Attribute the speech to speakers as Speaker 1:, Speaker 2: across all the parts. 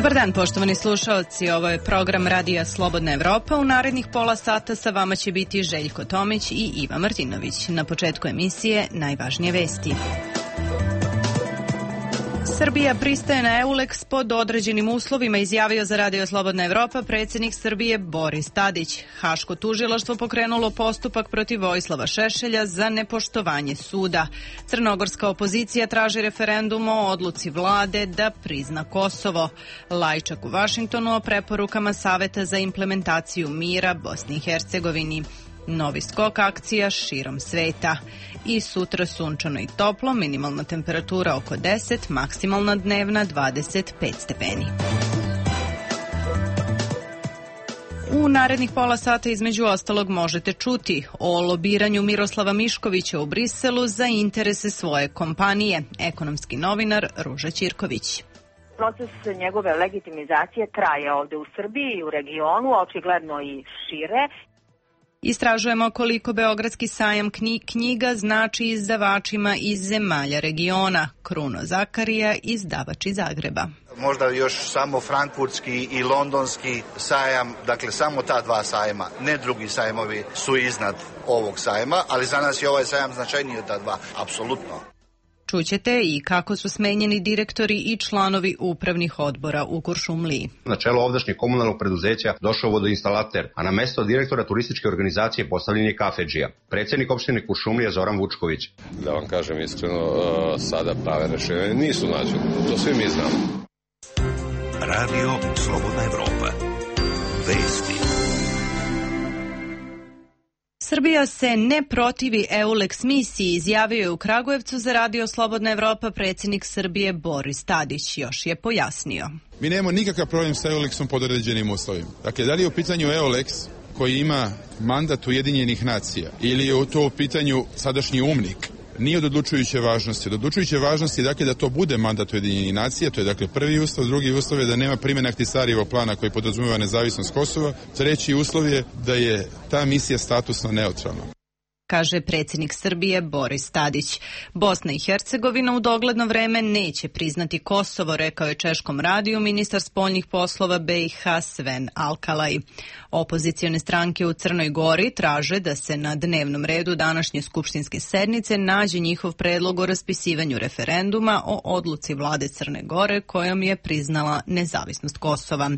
Speaker 1: Dobar dan, poštovani slušaoci. Ovo je program Radija Slobodna Evropa. U narednih pola sata sa vama će biti Željko Tomić i Iva Martinović. Na početku emisije najvažnije vesti. Srbija pristaje na EULEX pod određenim uslovima, izjavio za Radio Slobodna Evropa predsjednik Srbije Boris Tadić. Haško tužilaštvo pokrenulo postupak protiv Vojislava Šešelja za nepoštovanje suda. Crnogorska opozicija traži referendum o odluci vlade da prizna Kosovo. Lajčak u Vašingtonu o preporukama Saveta za implementaciju mira Bosni i Hercegovini. Novi skok akcija širom sveta. I sutra sunčano i toplo, minimalna temperatura oko 10, maksimalna dnevna 25 stepeni. U narednih pola sata između ostalog možete čuti o lobiranju Miroslava Miškovića u Briselu za interese svoje kompanije. Ekonomski novinar Ruža Ćirković.
Speaker 2: Proces njegove legitimizacije traje ovde u Srbiji i u regionu, očigledno i šire.
Speaker 1: Istražujemo koliko Beogradski sajam knjiga znači izdavačima iz zemalja regiona. Kruno Zakarija, izdavač iz Zagreba.
Speaker 3: Možda još samo frankfurtski i londonski sajam, dakle samo ta dva sajma, ne drugi sajmovi su iznad ovog sajma, ali za nas je ovaj sajam značajniji od ta dva, apsolutno.
Speaker 1: Čućete i kako su smenjeni direktori i članovi upravnih odbora u Kuršumliji.
Speaker 4: Na čelo ovdašnjeg komunalnog preduzeća došao vodoinstalater, a na mesto direktora turističke organizacije postavljen je kafedžija. Predsjednik opštine Kuršumlija Zoran Vučković.
Speaker 5: Da vam kažem iskreno, sada prave rešenje nisu nađene. To svi mi znamo.
Speaker 6: Radio Slobodna Evropa. Vesti.
Speaker 1: Srbija se ne protivi EULEX misiji, izjavio je u Kragujevcu za Radio Slobodna Evropa predsjednik Srbije Boris Tadić. Još je pojasnio.
Speaker 7: Mi nemamo nikakav problem sa EULEX-om pod određenim uslovima. Dakle, da li je u pitanju EULEX koji ima mandat Ujedinjenih nacija ili je to u pitanju sadašnji UMNIK, nije od odlučujuće važnosti. Od odlučujuće važnosti je dakle da to bude mandat Ujedinjenih nacija, to je dakle prvi uslov, drugi uslov je da nema primjene Ahtisarijevog plana koji podrazumijeva nezavisnost Kosova, treći uslov je da je ta misija statusno neutralna.
Speaker 1: Kaže predsjednik Srbije Boris Tadić. Bosna i Hercegovina u dogledno vreme neće priznati Kosovo, rekao je Češkom radiju ministar spoljnih poslova BiH Sven Alkalaj. Opozicione stranke u Crnoj Gori traže da se na dnevnom redu današnje skupštinske sednice nađe njihov predlog o raspisivanju referenduma o odluci vlade Crne Gore kojom je priznala nezavisnost Kosova.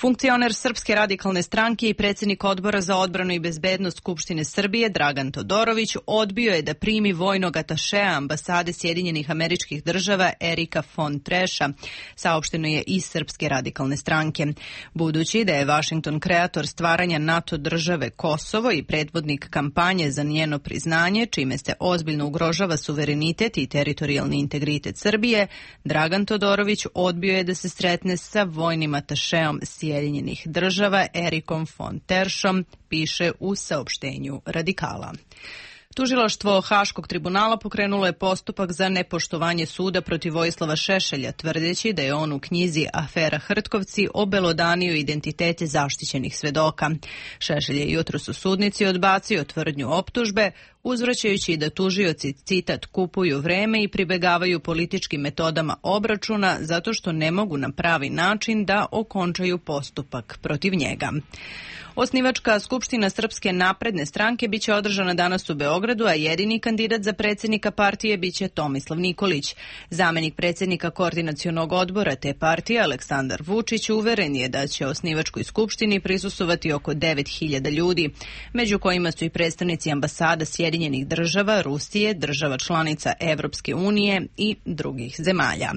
Speaker 1: Funkcioner Srpske radikalne stranke i predsjednik odbora za odbranu i bezbednost Skupštine Srbije Dragan Todorović odbio je da primi vojnog atašea ambasade Sjedinjenih Američkih Država Erika von Treša, saopšteno je iz Srpske radikalne stranke. Budući da je Vašington kreator stvaranja NATO države Kosovo i predvodnik kampanje za njeno priznanje, čime se ozbiljno ugrožava suverenitet i teritorijalni integritet Srbije, Dragan Todorović odbio je da se sretne sa vojnim atašeom Sjedinjenih Država Erikom von Teršom, piše u saopštenju Radikala. Tužilaštvo Haškog tribunala pokrenulo je postupak za nepoštovanje suda protiv Vojislava Šešelja, tvrdeći da je on u knjizi Afera Hrtkovci obelodanio identitete zaštićenih svedoka. Šešelj je jutros u sudnici odbacio tvrdnju optužbe, uzvraćajući da tužioci, citat, kupuju vreme i pribegavaju političkim metodama obračuna zato što ne mogu na pravi način da okončaju postupak protiv njega. Osnivačka skupština Srpske napredne stranke biće održana danas u Beogradu, a jedini kandidat za predsjednika partije biće Tomislav Nikolić. Zamenik predsjednika koordinacionog odbora te partije Aleksandar Vučić uveren je da će osnivačkoj skupštini prisustvovati oko 9.000 ljudi, među kojima su i predstavnici ambasada Sjedinjenih Država, Rusije, država članica Evropske unije i drugih zemalja.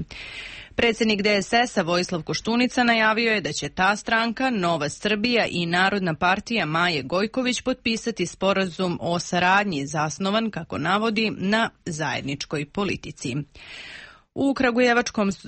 Speaker 1: Predsjednik DSS-a Vojislav Koštunica najavio je da će ta stranka, Nova Srbija i Narodna partija Maje Gojković potpisati sporazum o saradnji zasnovan, kako navodi, na zajedničkoj politici. U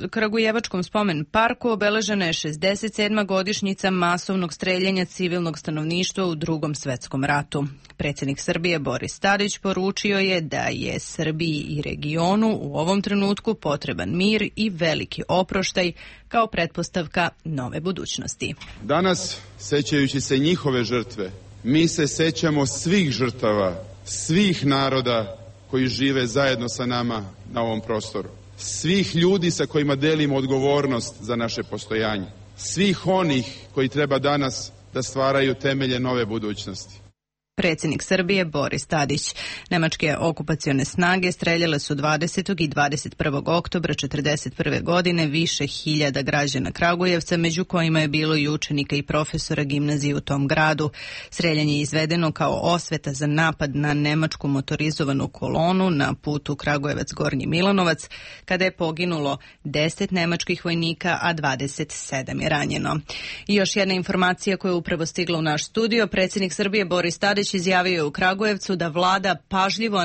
Speaker 1: Kragujevačkom spomen parku obeležena je 67. godišnjica masovnog streljanja civilnog stanovništva u Drugom svetskom ratu. Predsjednik Srbije Boris Tadić poručio je da je Srbiji i regionu u ovom trenutku potreban mir i veliki oproštaj kao pretpostavka nove budućnosti.
Speaker 7: Danas, sećajući se njihove žrtve, mi se sećamo svih žrtava, svih naroda koji žive zajedno sa nama na ovom prostoru. svih ljudi sa kojima delimo odgovornost za naše postojanje, svih onih koji treba danas da stvaraju temelje nove budućnosti.
Speaker 1: Predsjednik Srbije Boris Tadić. Nemačke okupacione snage streljale su 20. i 21. oktobra 1941. godine više hiljada građana Kragujevca, među kojima je bilo i učenika i profesora gimnazije u tom gradu. Streljanje je izvedeno kao osveta za napad na nemačku motorizovanu kolonu na putu Kragujevac-Gornji Milanovac, kada je poginulo 10 nemačkih vojnika, a 27 je ranjeno. I još jedna informacija koja je upravo stigla u naš studio. Predsjednik Srbije Boris Tadić izjavio je u Kragujevcu da vlada pažljivo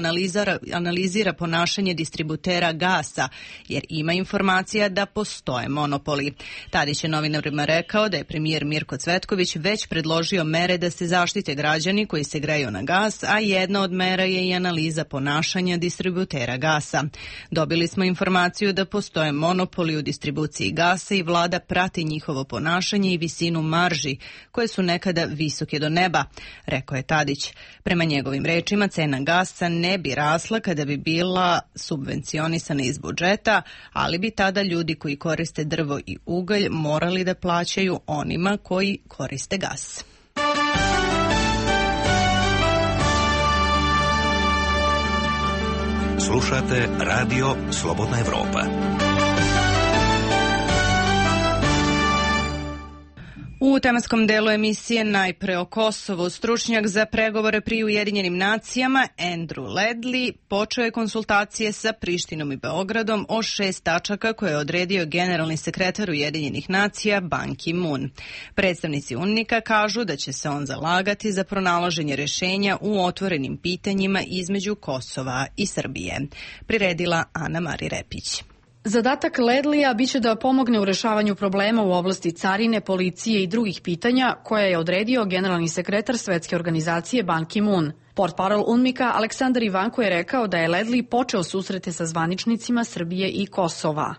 Speaker 1: analizira ponašanje distributera gasa, jer ima informacija da postoje monopoli. Tadić je novinarima rekao da je premijer Mirko Cvetković već predložio mere da se zaštite građani koji se greju na gas, a jedna od mera je i analiza ponašanja distributera gasa. Dobili smo informaciju da postoje monopoli u distribuciji gasa i vlada prati njihovo ponašanje i visinu marži, koje su nekada visoke do neba, rekao je Tadić. Prema njegovim rečima, cena gasa ne bi rasla kada bi bila subvencionisana iz budžeta, ali bi tada ljudi koji koriste drvo i ugalj morali da plaćaju onima koji koriste gas.
Speaker 6: Slušate Radio Slobodna Evropa.
Speaker 1: U tematskom delu emisije najpre o Kosovu. Stručnjak za pregovore pri Ujedinjenim nacijama Andrew Ledley počeo je konsultacije sa Prištinom i Beogradom o 6 tačaka koje je odredio generalni sekretar Ujedinjenih nacija Ban Ki-moon. Predstavnici UNMIK-a kažu da će se on zalagati za pronalaženje rešenja u otvorenim pitanjima između Kosova i Srbije. Priredila Ana Mari Repić.
Speaker 8: Zadatak Ledlija biće da pomogne u rešavanju problema u oblasti carine, policije i drugih pitanja koje je odredio generalni sekretar Svetske organizacije Ban Ki-moon. Portparol UNMIK-a Aleksandar Ivanko je rekao da je Ledley počeo susrete sa zvaničnicima Srbije i Kosova.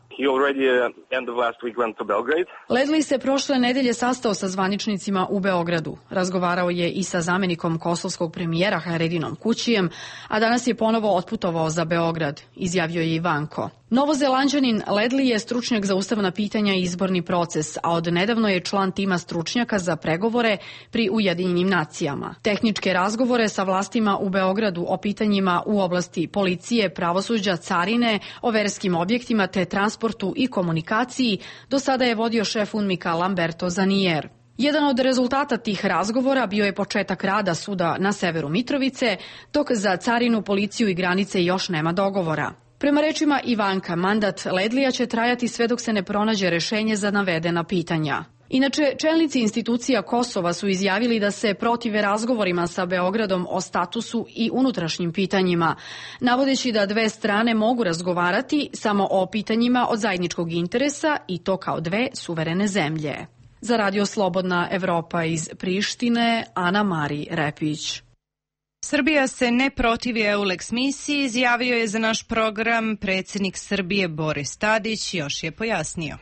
Speaker 8: Ledley se prošle nedelje sastao sa zvaničnicima u Beogradu. Razgovarao je i sa zamenikom kosovskog premijera Hajredinom Kućijem, a danas je ponovo otputovao za Beograd, izjavio je Ivanko. Novozelanđanin Ledley je stručnjak za ustavna pitanja i izborni proces, a od nedavno je član tima stručnjaka za pregovore pri Ujedinjenim nacijama. Tehničke razgovore sa vlastima u Beogradu o pitanjima u oblasti policije, pravosuđa, carine, o verskim objektima te transportu i komunikaciji do sada je vodio šef UNMIK-a Lamberto Zanier. Jedan od rezultata tih razgovora bio je početak rada suda na severu Mitrovice, dok za carinu, policiju i granice još nema dogovora. Prema rečima Ivanka, mandat Ledlija će trajati sve dok se ne pronađe rešenje za navedena pitanja. Inače, čelnici institucija Kosova su izjavili da se protive razgovorima sa Beogradom o statusu i unutrašnjim pitanjima, navodeći da dve strane mogu razgovarati samo o pitanjima od zajedničkog interesa i to kao dve suverene zemlje. Za Radio Slobodna Evropa iz Prištine, Ana Mari Repić.
Speaker 1: Srbija se ne protivi EULEX misiji, izjavio je za naš program predsjednik Srbije Boris Tadić, još je pojasnio.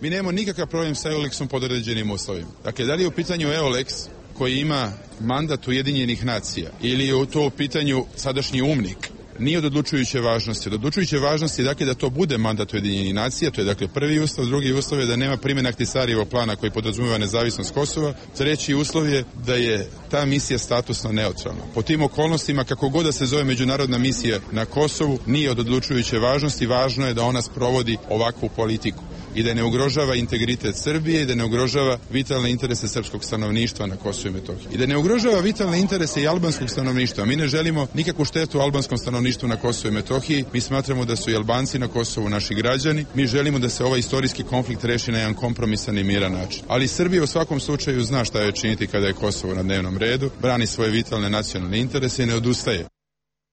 Speaker 7: Mi nemamo nikakav problem sa EULEX-om pod određenim uslovima. Dakle, da li je u pitanju EULEX koji ima mandat Ujedinjenih nacija ili je to u pitanju sadašnji UNMIK, nije od odlučujuće važnosti. Od odlučujuće važnosti je dakle da to bude mandat Ujedinjenih nacija, to je dakle prvi uslov, drugi uslov je da nema primjena Ahtisarijevog plana koji podrazumijeva nezavisnost Kosova, treći uslov je da je ta misija statusno neutralna. Po tim okolnostima, kako god da se zove međunarodna misija na Kosovu, nije od odlučujuće važnosti, važno je da ona sprovodi ovakvu politiku i da ne ugrožava integritet Srbije i da ne ugrožava vitalne interese srpskog stanovništva na Kosovu i Metohiji. I da ne ugrožava vitalne interese i albanskog stanovništva. Mi ne želimo nikakvu štetu albanskom stanovništvu na Kosovu i Metohiji. Mi smatramo da su i Albanci na Kosovu naši građani. Mi želimo da se ovaj istorijski konflikt reši na jedan kompromisan i miran način. Ali Srbija u svakom slučaju zna šta je činiti kada je Kosovo na dnevnom redu, brani svoje vitalne nacionalne interese i ne odustaje.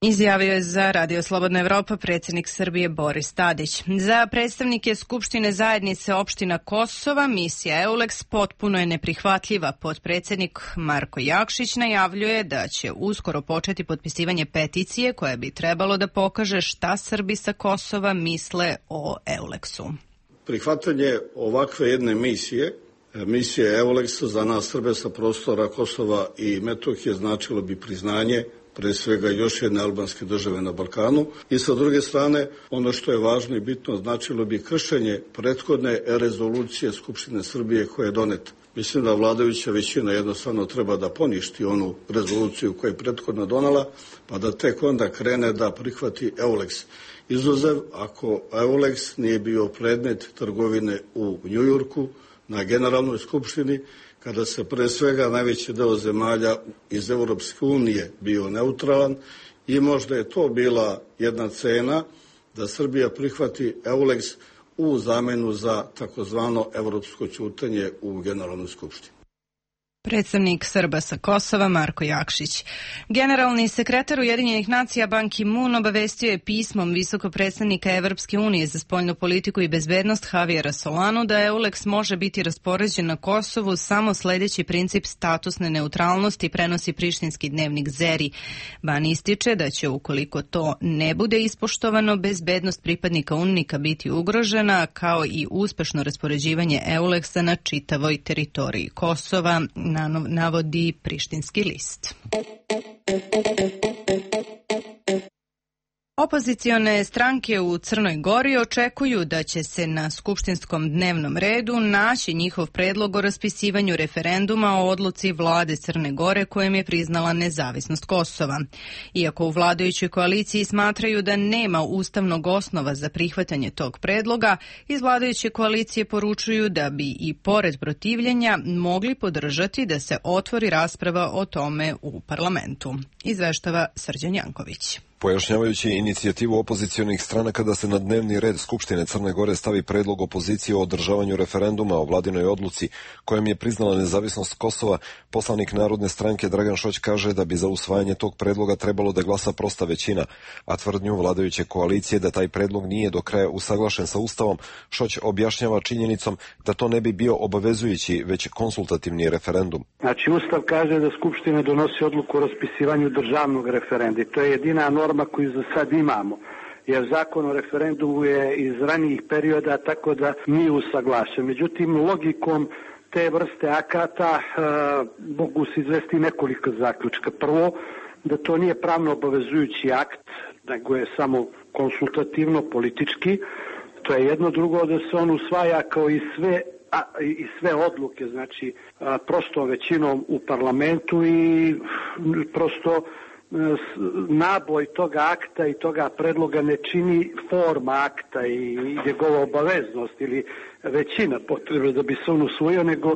Speaker 1: Izjavio je za Radio Slobodna Evropa predsjednik Srbije Boris Tadić. Za predstavnike Skupštine zajednice opština Kosova misija EULEX potpuno je neprihvatljiva. Potpredsjednik Marko Jakšić najavljuje da će uskoro početi potpisivanje peticije koja bi trebalo da pokaže šta Srbi sa Kosova misle o EULEX-u.
Speaker 9: Prihvatanje ovakve jedne misije EULEX za nas Srbe sa prostora Kosova i Metohije značilo bi priznanje pre svega još jedne albanske države na Balkanu. I sa druge strane, ono što je važno i bitno, značilo bi kršenje prethodne rezolucije Skupštine Srbije koja je doneta. Mislim da vladajuća većina jednostavno treba da poništi onu rezoluciju koju je prethodno donala, pa da tek onda krene da prihvati EULEX. Izuzev ako EULEX nije bio predmet trgovine u Njujorku na Generalnoj skupštini, kada se pre svega najveći deo zemalja iz Europske unije bio neutralan i možda je to bila jedna cena da Srbija prihvati EULEX u zamenu za takozvano evropsko ćutanje u Generalnoj skupštini.
Speaker 1: Predstavnik Srba sa Kosova Marko Jakšić. Generalni sekretar Ujedinjenih nacija Ban Ki-moon obavestio je pismom visokog predstavnika Evropske unije za spoljnu politiku i bezbednost Javiera Solanu da EULEX može biti raspoređen na Kosovu samo sledeći princip statusne neutralnosti, prenosi prištinski dnevnik Zeri. Ban ističe da će, ukoliko to ne bude ispoštovano, bezbednost pripadnika UNMIK-a biti ugrožena, kao i uspešno raspoređivanje EULEX-a na čitavoj teritoriji Kosova, navodi prištinski list. Opozicione stranke u Crnoj Gori očekuju da će se na skupštinskom dnevnom redu naći njihov predlog o raspisivanju referenduma o odluci vlade Crne Gore kojim je priznala nezavisnost Kosova. Iako u vladajućoj koaliciji smatraju da nema ustavnog osnova za prihvatanje tog predloga, iz vladajuće koalicije poručuju da bi i pored protivljenja mogli podržati da se otvori rasprava o tome u parlamentu. Izveštava Srđan Janković.
Speaker 10: Pojašnjavajući inicijativu opozicionih stranaka da se na dnevni red Skupštine Crne Gore stavi predlog opozicije o održavanju referenduma o vladinoj odluci kojom je priznala nezavisnost Kosova, poslanik Narodne stranke Dragan Šoć kaže da bi za usvajanje tog predloga trebalo da glasa prosta većina, a tvrdnju vladajuće koalicije da taj predlog nije do kraja usaglašen sa Ustavom, Šoć objašnjava činjenicom da to ne bi bio obavezujući, već konsultativni referendum.
Speaker 11: Znači, Ustav kaže da Skupština donosi odluku o raspisivanju državnog referenduma. To je jedina norma koju za sad imamo, jer zakon o referendumu je iz ranijih perioda, tako da nije usaglašen. Međutim, logikom te vrste akata mogu se izvesti nekoliko zaključka. Prvo, da to nije pravno obavezujući akt, nego je samo konsultativno, politički. To je jedno. Drugo, da se on usvaja kao i sve odluke, znači prostom većinom u parlamentu i prosto naboj toga akta i toga predloga ne čini forma akta i njegova obaveznost ili većina potrebe da bi se on usvojio, nego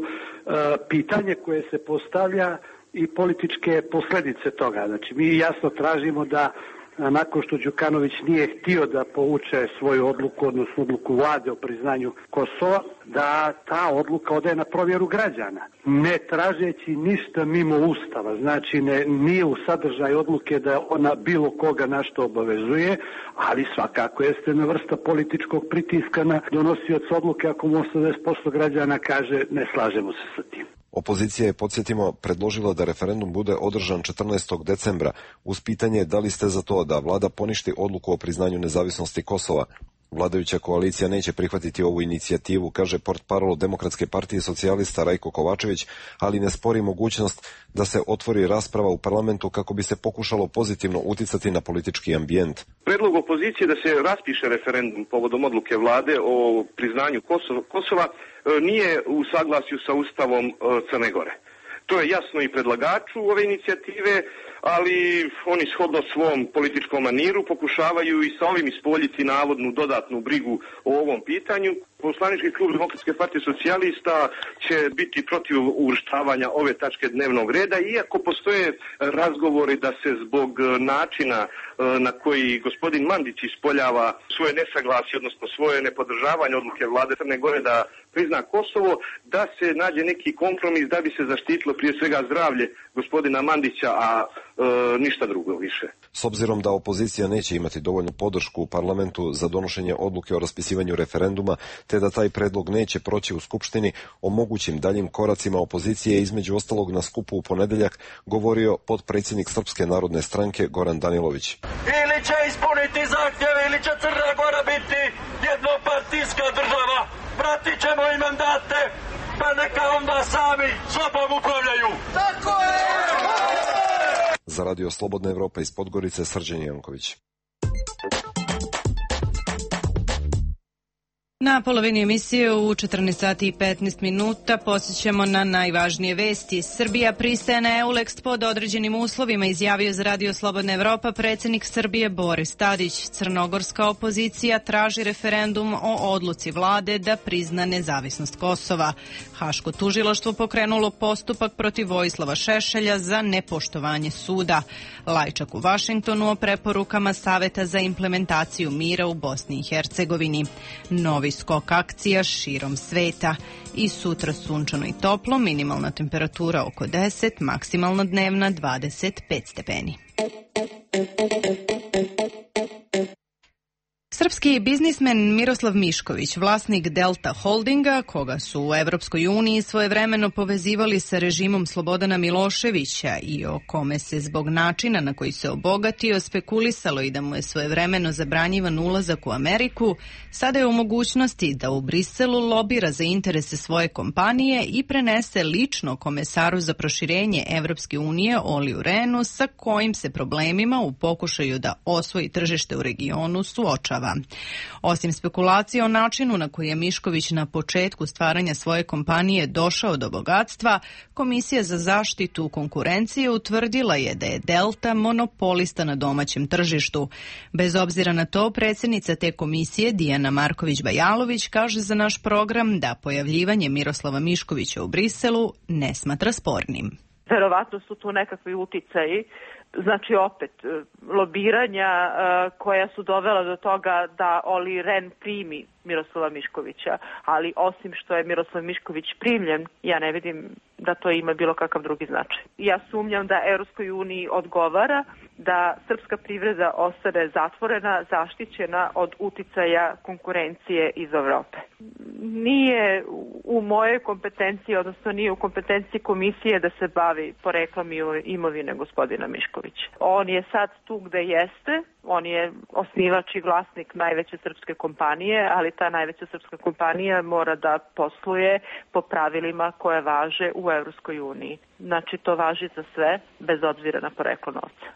Speaker 11: pitanje koje se postavlja i političke posledice toga. Znači, mi jasno tražimo da nakon što Đukanović nije htio da povuče svoju odluku, odnosno odluku vlade o priznanju Kosova, da ta odluka ode na provjeru građana, ne tražeći ništa mimo Ustava. Znači, nije u sadržaju odluke da ona bilo koga na što obavezuje, ali svakako jeste na vrsta političkog pritiska na donosioca odluke ako mu 80% građana kaže ne slažemo se sa tim.
Speaker 10: Opozicija je, podsjetimo, predložila da referendum bude održan 14. decembra uz pitanje da li ste za to da vlada poništi odluku o priznanju nezavisnosti Kosova. Vladajuća koalicija neće prihvatiti ovu inicijativu, kaže portparol Demokratske partije socijalista Rajko Kovačević, ali ne spori mogućnost da se otvori rasprava u parlamentu kako bi se pokušalo pozitivno uticati na politički ambijent.
Speaker 12: Predlog opozicije da se raspiše referendum povodom odluke vlade o priznanju Kosova nije u saglasju sa Ustavom Crne Gore. To je jasno i predlagaču ove inicijative, ali oni shodno svom političkom maniru pokušavaju i sa ovim ispoljiti navodnu dodatnu brigu o ovom pitanju. Poslanički klub Demokratske partije socijalista će biti protiv uvrštavanja ove tačke dnevnog reda, iako postoje razgovori da se zbog načina na koji gospodin Mandić ispoljava svoje nesaglasje, odnosno svoje nepodržavanje odluke vlade Crne Gore da prizna Kosovo, da se nađe neki kompromis da bi se zaštitilo prije svega zdravlje gospodina Mandića, a ništa drugo više.
Speaker 10: S obzirom da opozicija neće imati dovoljnu podršku u parlamentu za donošenje odluke o raspisivanju referenduma, te da taj predlog neće proći u Skupštini, o mogućim daljim koracima opozicije između ostalog na skupu u ponedeljak govorio potpredsjednik Srpske narodne stranke Goran Danilović.
Speaker 13: Ili će ispuniti zahtjeve, ili će Crna Gora biti jednopartijska država. Vratit ćemo im mandate, pa neka onda sami sobom upravljaju. Tako je!
Speaker 10: Za Radio Slobodna Evropa iz Podgorice, Srđan Janković.
Speaker 1: Na polovini emisije u 14 sati i 15 minuta posjećamo na najvažnije vesti. Srbija pristaje na EULEX pod određenim uslovima, izjavio za Radio Slobodna Evropa predsjednik Srbije Boris Tadić. Crnogorska opozicija traži referendum o odluci vlade da prizna nezavisnost Kosova. Haško tužilaštvo pokrenulo postupak protiv Vojislava Šešelja za nepoštovanje suda. Lajčak u Vašingtonu o preporukama Saveta za implementaciju mira u Bosni i Hercegovini. Novi skok akcija širom sveta. I sutra sunčano i toplo, minimalna temperatura oko 10, maksimalna dnevna 25 stepeni. Srpski biznismen Miroslav Mišković, vlasnik Delta Holdinga, koga su u Evropskoj uniji svojevremeno povezivali sa režimom Slobodana Miloševića i o kome se zbog načina na koji se obogatio spekulisalo i da mu je svojevremeno zabranjivan ulazak u Ameriku, sada je u mogućnosti da u Briselu lobira za interese svoje kompanije i prenese lično komesaru za proširenje Evropske unije Oliju Renu, sa kojim se problemima u pokušaju da osvoji tržište u regionu suočava. Osim spekulacije o načinu na koji je Mišković na početku stvaranja svoje kompanije došao do bogatstva, Komisija za zaštitu konkurencije utvrdila je da je Delta monopolista na domaćem tržištu. Bez obzira na to, predsjednica te komisije Dijana Marković-Bajalović kaže za naš program da pojavljivanje Miroslava Miškovića u Briselu ne smatra spornim.
Speaker 14: Verovatno su tu nekakvi uticaji, znači opet lobiranja koja su dovela do toga da Oli Ren primi Miroslava Miškovića, ali osim što je Miroslav Mišković primljen, ja ne vidim da to ima bilo kakav drugi značaj. Ja sumnjam da Europskoj uniji odgovara da srpska privreda ostane zatvorena, zaštićena od uticaja konkurencije iz Evrope. Nije u mojoj kompetenciji, odnosno nije u kompetenciji komisije da se bavi poreklom imovine gospodina Miškovića. On je sad tu gde jeste, on je osnivač i vlasnik najveće srpske kompanije, ali ta najveća srpska kompanija mora da posluje po pravilima koje važe u Evropskoj uniji. Znači to važi za sve, bez obzira na poreklo novca.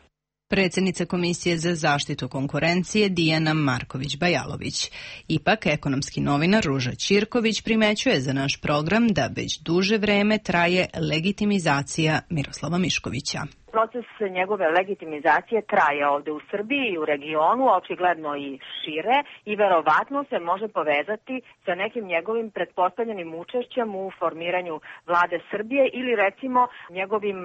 Speaker 1: Predsjednica Komisije za zaštitu konkurencije Dijana Marković-Bajalović. Ipak, ekonomski novinar Ruža Ćirković primećuje za naš program da već duže vreme traje legitimizacija Miroslava Miškovića.
Speaker 2: Proces njegove legitimizacije traje ovde u Srbiji i u regionu, očigledno i šire, i verovatno se može povezati sa nekim njegovim pretpostavljenim učešćem u formiranju vlade Srbije ili recimo njegovim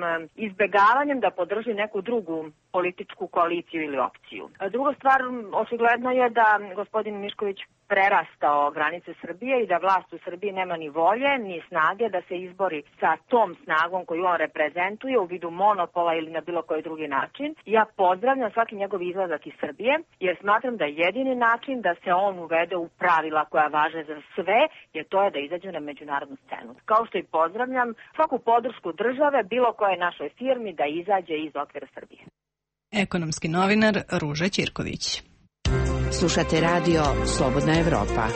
Speaker 2: izbegavanjem da podrži neku drugu političku koaliciju ili opciju. Druga stvar, očigledno je da gospodin Mišković prerastao granice Srbije i da vlast u Srbiji nema ni volje, ni snage da se izbori sa tom snagom koju on reprezentuje u vidu monopola ili na bilo koji drugi način. Ja pozdravljam svaki njegov izlazak iz Srbije, jer smatram da je jedini način da se on uvede u pravila koja važe za sve, jer to je da izađe na međunarodnu scenu. Kao što i pozdravljam svaku podršku države bilo koje našoj firmi da izađe iz okvira Srbije.
Speaker 1: Ekonomski novinar Ruža Ćirković.
Speaker 15: Slušate radio Slobodna Evropa.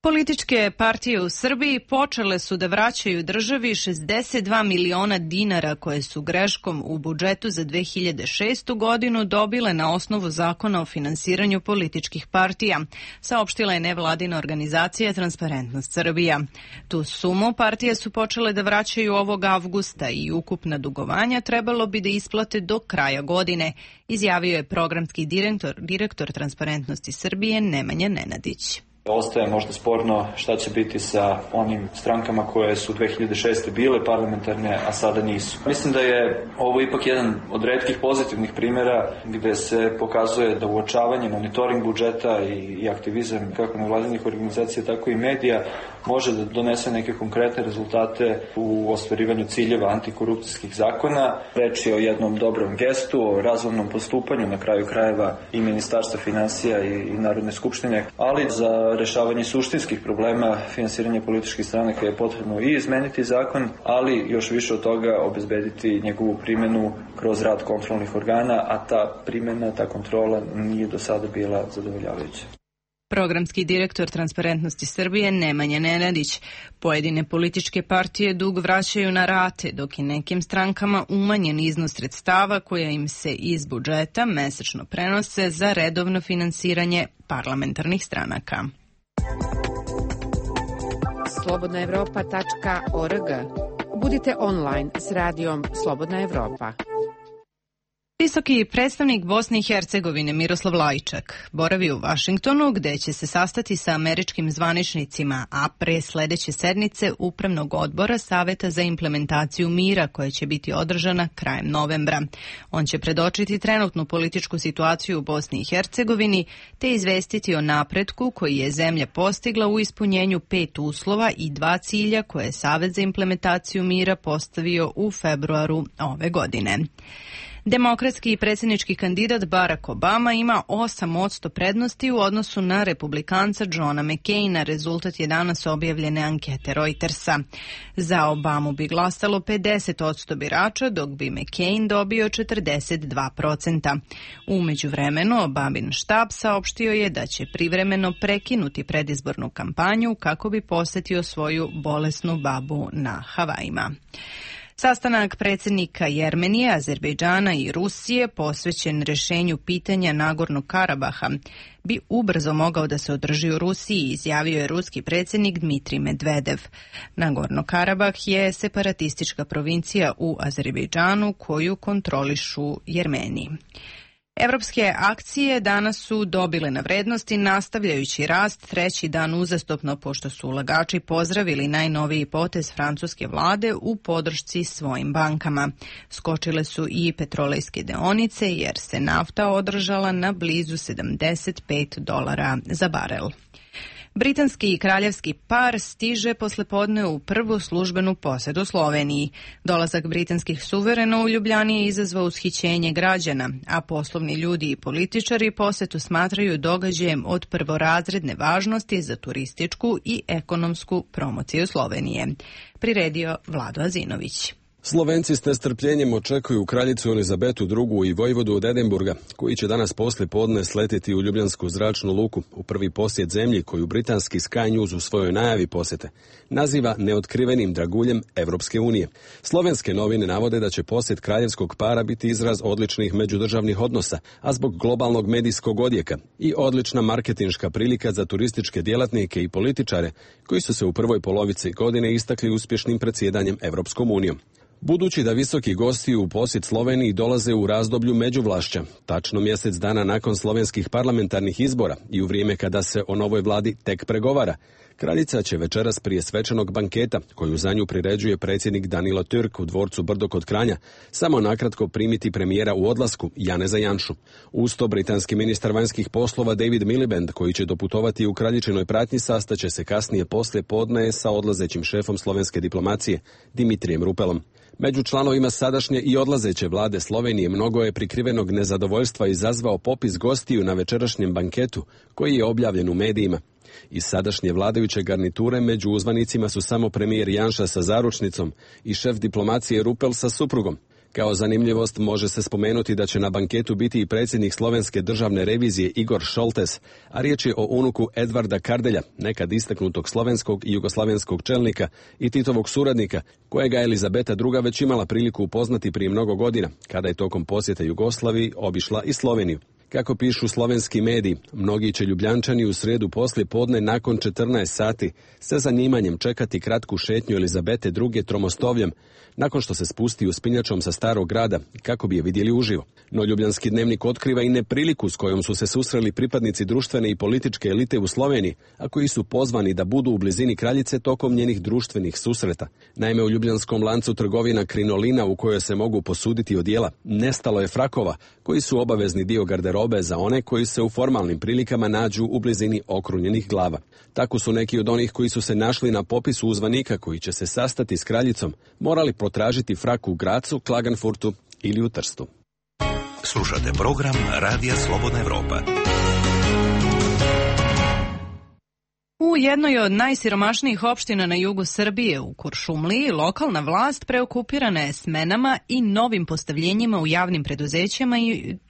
Speaker 1: Političke partije u Srbiji počele su da vraćaju državi 62 miliona dinara koje su greškom u budžetu za 2006. godinu dobile na osnovu zakona o finansiranju političkih partija, saopštila je nevladina organizacija Transparentnost Srbija. Tu sumu partije su počele da vraćaju ovog avgusta i ukupna dugovanja trebalo bi da isplate do kraja godine, izjavio je programski direktor Transparentnosti Srbije Nemanja Nenadić.
Speaker 16: Ostaje možda sporno šta će biti sa onim strankama koje su 2006. bile parlamentarne, a sada nisu. Mislim da je ovo ipak jedan od retkih pozitivnih primjera gde se pokazuje da uočavanje, monitoring budžeta i aktivizam kako nevladinih organizacija, tako i medija može da donese neke konkretne rezultate u ostvarivanju ciljeva antikorupcijskih zakona. Reč je o jednom dobrom gestu, o razumnom postupanju na kraju krajeva i Ministarstva finansija i Narodne skupštine, ali za rešavanje suštinskih problema finansiranja političkih stranaka je potrebno i izmeniti zakon, ali još više od toga obezbediti njegovu primjenu kroz rad kontrolnih organa, a ta primjena, ta kontrola nije do sada bila zadovoljavajuća.
Speaker 1: Programski direktor Transparentnosti Srbije Nemanja Nenadić. Pojedine političke partije dug vraćaju na rate, dok je nekim strankama umanjen iznos sredstava koja im se iz budžeta mesečno prenose za redovno finansiranje parlamentarnih stranaka.
Speaker 15: slobodnaevropa.org. Budite online s radijom Slobodna Evropa.
Speaker 1: Visoki predstavnik Bosne i Hercegovine Miroslav Lajčak boravi u Vašingtonu, gde će se sastati sa američkim zvaničnicima, a pre sledeće sednice Upravnog odbora Saveta za implementaciju mira, koja će biti održana krajem novembra. On će predočiti trenutnu političku situaciju u Bosni i Hercegovini, te izvestiti o napretku koji je zemlja postigla u ispunjenju 5 uslova i 2 cilja koje je Savet za implementaciju mira postavio u februaru ove godine. Demokratski i predsjednički kandidat Barack Obama ima 8% prednosti u odnosu na republikanca Johna McCaina. Rezultat je danas objavljene ankete Reutersa. Za Obamu bi glasalo 50% birača, dok bi McCain dobio 42%. U međuvremenu Obamin štab saopštio je da će privremeno prekinuti predizbornu kampanju kako bi posetio svoju bolesnu babu na Havajima. Sastanak predsjednika Jermenije, Azerbejdžana i Rusije posvećen rešenju pitanja Nagornog Karabaha bi ubrzo mogao da se održi u Rusiji, izjavio je ruski predsjednik Dmitrij Medvedev. Nagorno Karabah je separatistička provincija u Azerbejdžanu koju kontrolišu Jermeni. Evropske akcije danas su dobile na vrednosti, nastavljajući rast treći dan uzastopno, pošto su ulagači pozdravili najnoviji potez francuske vlade u podršci svojim bankama. Skočile su i petrolejske deonice jer se nafta održala na blizu $75 za barel. Britanski i kraljevski par stiže poslepodne u prvu službenu posetu Sloveniji. Dolazak britanskih suverena u Ljubljani je izazvao ushićenje građana, a poslovni ljudi i političari posetu smatraju događajem od prvorazredne važnosti za turističku i ekonomsku promociju Slovenije. Priredio Vlado Azinović.
Speaker 17: Slovenci s nestrpljenjem očekuju kraljicu Elizabetu II i vojvodu od Edinburga, koji će danas posle podne sletiti u Ljubljansku zračnu luku u prvi posjet zemlji koju britanski Sky News u svojoj najavi posete naziva neotkrivenim draguljem Evropske unije. Slovenske novine navode da će posjet kraljevskog para biti izraz odličnih međudržavnih odnosa, a zbog globalnog medijskog odjeka i odlična marketinška prilika za turističke djelatnike i političare koji su se u prvoj polovici godine istakli uspješnim predsjedanjem Evropskom unijom. Budući da visoki gosti u posjet Sloveniji dolaze u razdoblju međuvlašća, tačno mjesec dana nakon slovenskih parlamentarnih izbora i u vrijeme kada se o novoj vladi tek pregovara, kraljica će večeras prije svečanog banketa, koju za nju priređuje predsjednik Danilo Türk u dvorcu Brdo kod Kranja, samo nakratko primiti premijera u odlasku Janeza Janšu. Uz to britanski ministar vanjskih poslova David Miliband, koji će doputovati u kraljičinoj pratnji, sastaće se kasnije poslije podne sa odlazećim šefom slovenske diplomacije Dimitrijem Rupelom. Među članovima sadašnje i odlazeće vlade Slovenije mnogo je prikrivenog nezadovoljstva izazvao popis gostiju na večerašnjem banketu, koji je objavljen u medijima. Iz sadašnje vladajuće garniture među uzvanicima su samo premijer Janša sa zaručnicom i šef diplomacije Rupel sa suprugom. Kao zanimljivost može se spomenuti da će na banketu biti i predsjednik slovenske državne revizije Igor Šoltes, a riječ je o unuku Edvarda Kardelja, nekad istaknutog slovenskog i jugoslavenskog čelnika i Titovog suradnika, kojega je Elizabeta II već imala priliku upoznati prije mnogo godina, kada je tokom posjeta Jugoslaviji obišla i Sloveniju. Kako pišu slovenski mediji, mnogi će Ljubljančani u srijedu poslije podne nakon 14 sati sa zanimanjem čekati kratku šetnju Elizabete II tromostovljem, nakon što se spusti uspinjačom sa starog grada kako bi je vidjeli uživo. No Ljubljanski dnevnik otkriva i nepriliku s kojom su se susreli pripadnici društvene i političke elite u Sloveniji, a koji su pozvani da budu u blizini kraljice tokom njenih društvenih susreta. Naime, u ljubljanskom lancu trgovina Krinolina, u kojoj se mogu posuditi odijela, nestalo je frakova, koji su obavezni dio garderobe za one koji se u formalnim prilikama nađu u blizini okrunjenih glava. Tako su neki od onih koji su se našli na popisu uzvanika koji će se sastati s kraljicom morali potražiti frak u Gracu, Klagenfurtu ili u Trstu.
Speaker 6: Slušate program Radija Slobodna Evropa.
Speaker 1: U jednoj od najsiromašnijih opština na jugu Srbije, u Kuršumliji, lokalna vlast preokupirana je smenama i novim postavljenjima u javnim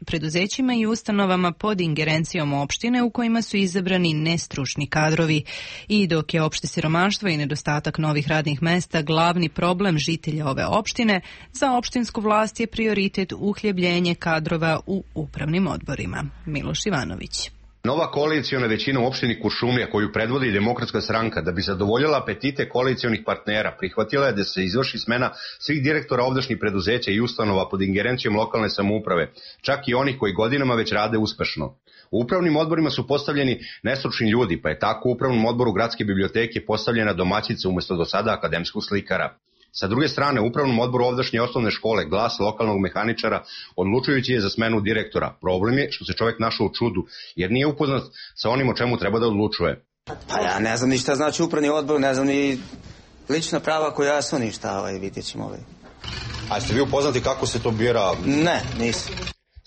Speaker 1: preduzećima i ustanovama pod ingerencijom opštine u kojima su izabrani nestručni kadrovi. I dok je opšte siromaštvo i nedostatak novih radnih mesta glavni problem žitelja ove opštine, za opštinsku vlast je prioritet uhljebljenje kadrova u upravnim odborima. Miloš Ivanović.
Speaker 4: Nova koalicijona većina u opštini Kuršumlija, koju predvodi Demokratska stranka, da bi zadovoljila apetite koalicijonih partnera, prihvatila je da se izvrši smena svih direktora ovdašnjih preduzeća i ustanova pod ingerencijom lokalne samouprave, čak i onih koji godinama već rade uspešno. U upravnim odborima su postavljeni nestručni ljudi, pa je tako u upravnom odboru Gradske biblioteke postavljena domaćica umesto do sada akademskog slikara. Sa druge strane, u upravnom odboru ovdašnje osnovne škole Glas lokalnog mehaničara odlučujući je za smenu direktora. Problem je što se čovjek našao u čudu, jer nije upoznat sa onim o čemu treba da odlučuje.
Speaker 18: Pa ja ne znam ni šta znači upravni odbor, ne znam ni lična prava koja su ništa, vidjet ćemo.
Speaker 4: A ste vi upoznati kako se to bira?
Speaker 18: Ne, nisam.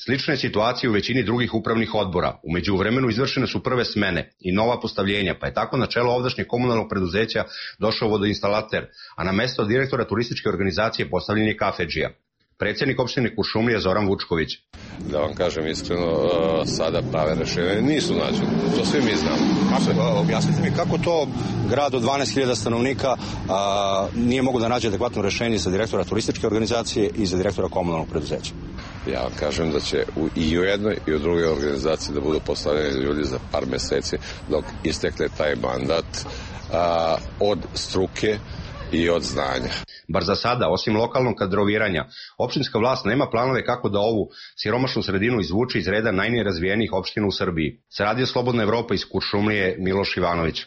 Speaker 4: Slične situacije u većini drugih upravnih odbora. U međuvremenu izvršene su prve smene i nova postavljenja, pa je tako na čelo ovdašnjeg komunalnog preduzeća došao vodoinstalater, a na mesto direktora turističke organizacije postavljen je kafedžija. Predsjednik opštine Kuršumlija Zoran Vučković.
Speaker 5: Da vam kažem iskreno, sada prave rešenje nisu nađene. To svi mi znamo.
Speaker 19: Objasnite mi kako to grad od 12.000 stanovnika nije mogu da nađe adekvatno rešenje za direktora turističke organizacije i za direktora komunalnog preduzeća?
Speaker 5: Ja vam kažem da će i u jednoj i u drugoj organizaciji da budu postavljeni ljudi za par meseci dok istekne taj mandat od struke i od znanja.
Speaker 4: Bar za sada, osim lokalnog kadroviranja, opštinska vlast nema planove kako da ovu siromašnu sredinu izvuče iz reda najnerazvijenijih opština u Srbiji. Sa Radio Slobodna Evropa iz Kuršumlije, Miloš Ivanović.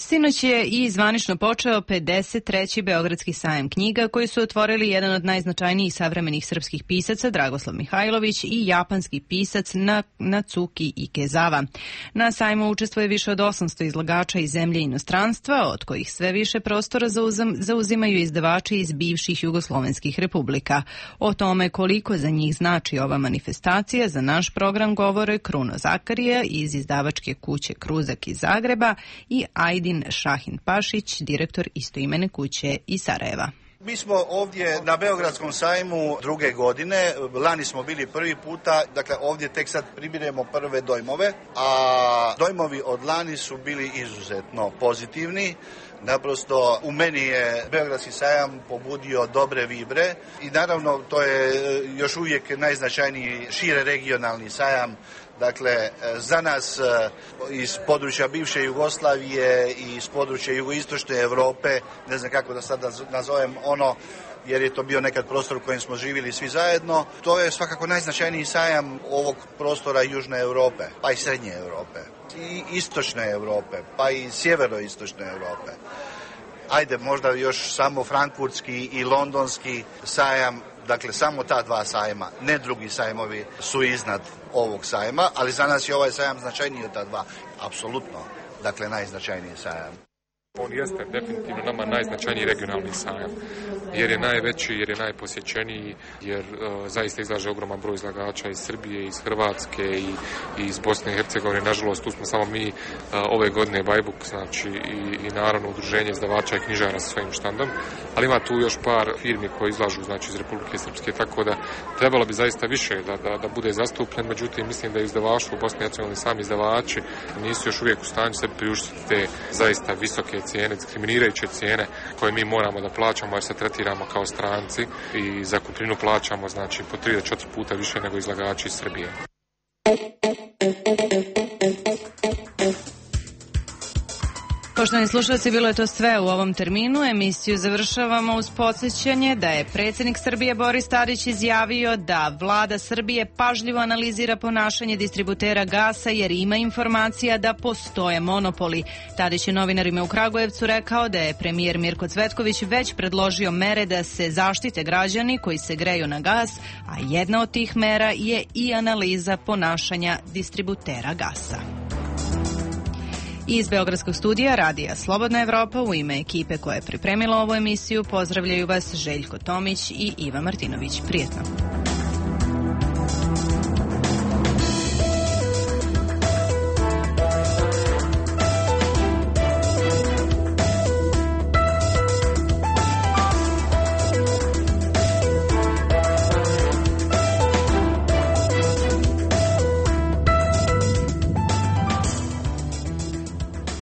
Speaker 1: Sinoć je i zvanično počeo 53. Beogradski sajam knjiga koji su otvorili jedan od najznačajnijih savremenih srpskih pisaca Dragoslav Mihajlović i japanski pisac Natsuki Ikezawa. Na sajmu učestvuje više od 800 izlagača iz zemlje i inostranstva, od kojih sve više prostora zauzimaju izdavači iz bivših jugoslovenskih republika. O tome koliko za njih znači ova manifestacija za naš program govore Kruno Zakarija iz izdavačke kuće Kruzak iz Zagreba i Ajdin Šahin Pašić, direktor istoimene kuće iz Sarajeva.
Speaker 3: Mi smo ovdje na Beogradskom sajmu druge godine, lani smo bili prvi puta, dakle ovdje tek sad pribiremo prve dojmove, a dojmovi od lani su bili izuzetno pozitivni. Naprosto u meni je Beogradski sajam pobudio dobre vibre i naravno to je još uvijek najznačajniji šire regionalni sajam. Dakle, za nas iz područja bivše Jugoslavije i iz područja jugoistočne Europe, ne znam kako da sad nazovem ono, jer je to bio nekad prostor u kojem smo živjeli svi zajedno, to je svakako najznačajniji sajam ovog prostora Južne Europe, pa i Srednje Europe, i Istočne Europe, pa i Sjeveroistočne Europe. Ajde, možda još samo Frankfurtski i Londonski sajam. Dakle, samo ta dva sajma, ne drugi sajmovi su iznad ovog sajma, ali za nas je ovaj sajam značajniji od ta dva. Apsolutno, dakle, najznačajniji sajam.
Speaker 20: On jeste definitivno nama najznačajniji regionalni sajam, jer je najveći, jer je najposjećeniji, jer zaista izlaže ogroman broj izlagača iz Srbije, iz Hrvatske i iz Bosne i Hercegovine. Nažalost, tu smo samo mi ove godine Bajbuk, znači i naravno udruženje izdavača i knjižara sa svojim štandom, ali ima tu još par firmi koje izlažu znači iz Republike Srpske, tako da trebalo bi zaista više da bude zastupljen, međutim mislim da je izdavaštvo u Bosni i Hercegovini sami izdavači nisu još uvijek u stanju sebi priuštiti te zaista visoke cijene, diskriminirajuće cijene koje mi moramo da plaćamo jer se tretiramo kao stranci i za kupninu plaćamo znači po 3 do 4 puta više nego izlagači iz Srbije.
Speaker 1: Poštovani slušalci, bilo je to sve u ovom terminu. Emisiju završavamo uz podsjećanje da je predsjednik Srbije Boris Tadić izjavio da vlada Srbije pažljivo analizira ponašanje distributera gasa jer ima informacija da postoje monopoli. Tadić je novinarima u Kragujevcu rekao da je premijer Mirko Cvetković već predložio mere da se zaštite građani koji se greju na gas, a jedna od tih mera je i analiza ponašanja distributera gasa. Iz Beogradskog studija Radija Slobodna Evropa u ime ekipe koja je pripremila ovu emisiju pozdravljaju vas Željko Tomić i Iva Martinović. Prijetno.